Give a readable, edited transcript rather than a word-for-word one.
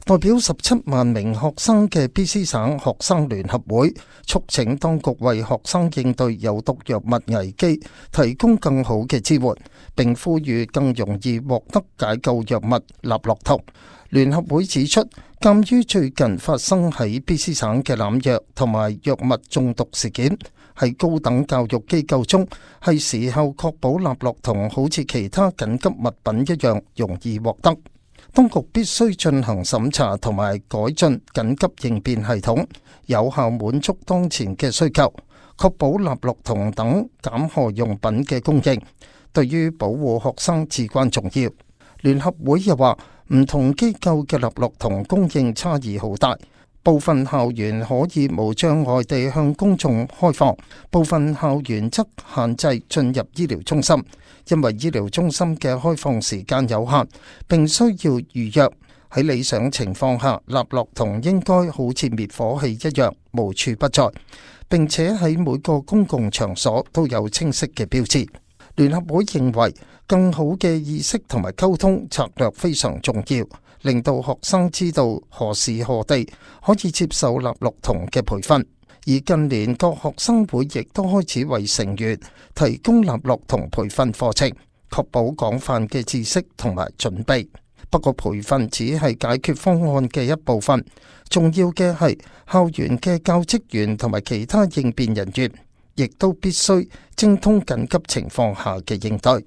代表17萬名學生嘅 BC 省學生聯合會促請當局為學生應對有毒藥物危機提供更好嘅支援，並呼籲更容易獲得解救藥物納洛酮。聯合會指出，鑑於最近發生喺 BC 省嘅濫藥同埋藥物中毒事件，喺高等教育機構中係時候確保納洛酮好似其他緊急物品一樣容易獲得。當局必須進行審查同埋改進緊急應變系統，有效滿足當前嘅需求，確保納洛酮等減害用品嘅供應，對於保護學生至關重要。聯合會又話，唔同機構嘅納洛酮供應差異好大，部分校園可以無障礙地向公眾開放，部分校園則限制進入醫療中心，因為醫療中心嘅開放時間有限，並需要預約。喺理想情況下，納洛酮應該好似滅火器一樣無處不在，並且喺每個公共場所都有清晰嘅標誌。聯合會認為，更好嘅意識同埋溝通策略非常重要，令到學生知道何時何地可以接受納洛酮嘅培訓。而近年各學生會亦都開始為成員提供納洛酮培訓課程，確保廣泛嘅知識同埋準備。不過培訓只係解決方案嘅一部分，重要嘅係校園嘅教職員同埋其他應變人員，亦都必須精通緊急情況下嘅應對。